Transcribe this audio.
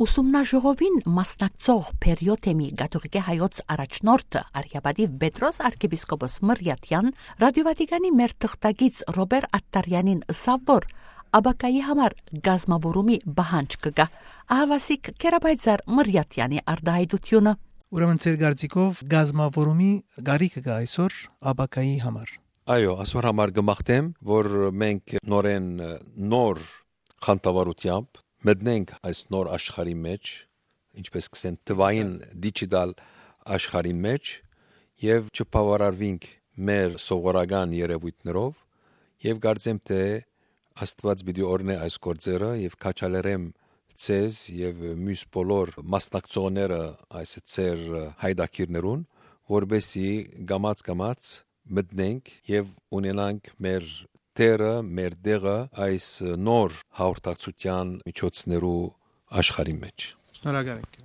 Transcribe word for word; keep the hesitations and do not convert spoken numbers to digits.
Ուսումնաժողովին մասնակցող Փերիոթեմի կաթողիկէ հայոց առաջնորդը, արհիապատիվ Պետրոս արքեպիսկոպոս Մրիաթեան, Ռադիո Վատիկանի մեր թղթակից Ռոբեր Ատտարեանին ըսաւ, որ ապագայի համար կազմաւորումի պահանջ կը գայ։ Ահավասիկ Կերապայծար Մրիաթեանի արտահայտությունը։ Ուրեմն, ձեր կարծիքով, կազմաւորումի կարիքը կա այսօր ապագայի համար։ Այո, այսօր համար կը մաղթեմ, որ մենք նորեն, նոր խանդավառութեամբ մտնենք այս նոր աշխարհի մեջ, ինչպես կ'ըսեն, թվային, դիջիտալ աշխարհին մեջ, եւ չբաւարարվենք մեր սովորական երեւոյթներով, եւ կարծեմ, թէ Աստուած պիտի օրհնէ այս գործերը, եւ քաջալերեմ ձեզ եւ միւս բոլոր մասնակցողները այս ձեր հայտագիրներուն, որպեսզի կամաց-կամաց մտնենք եւ ունենանք մեր տեղը, մեր տեղը այս նոր հաղորդակցութեան միջոցներու աշխարհի մեջ։ Շնորհակալ ենք։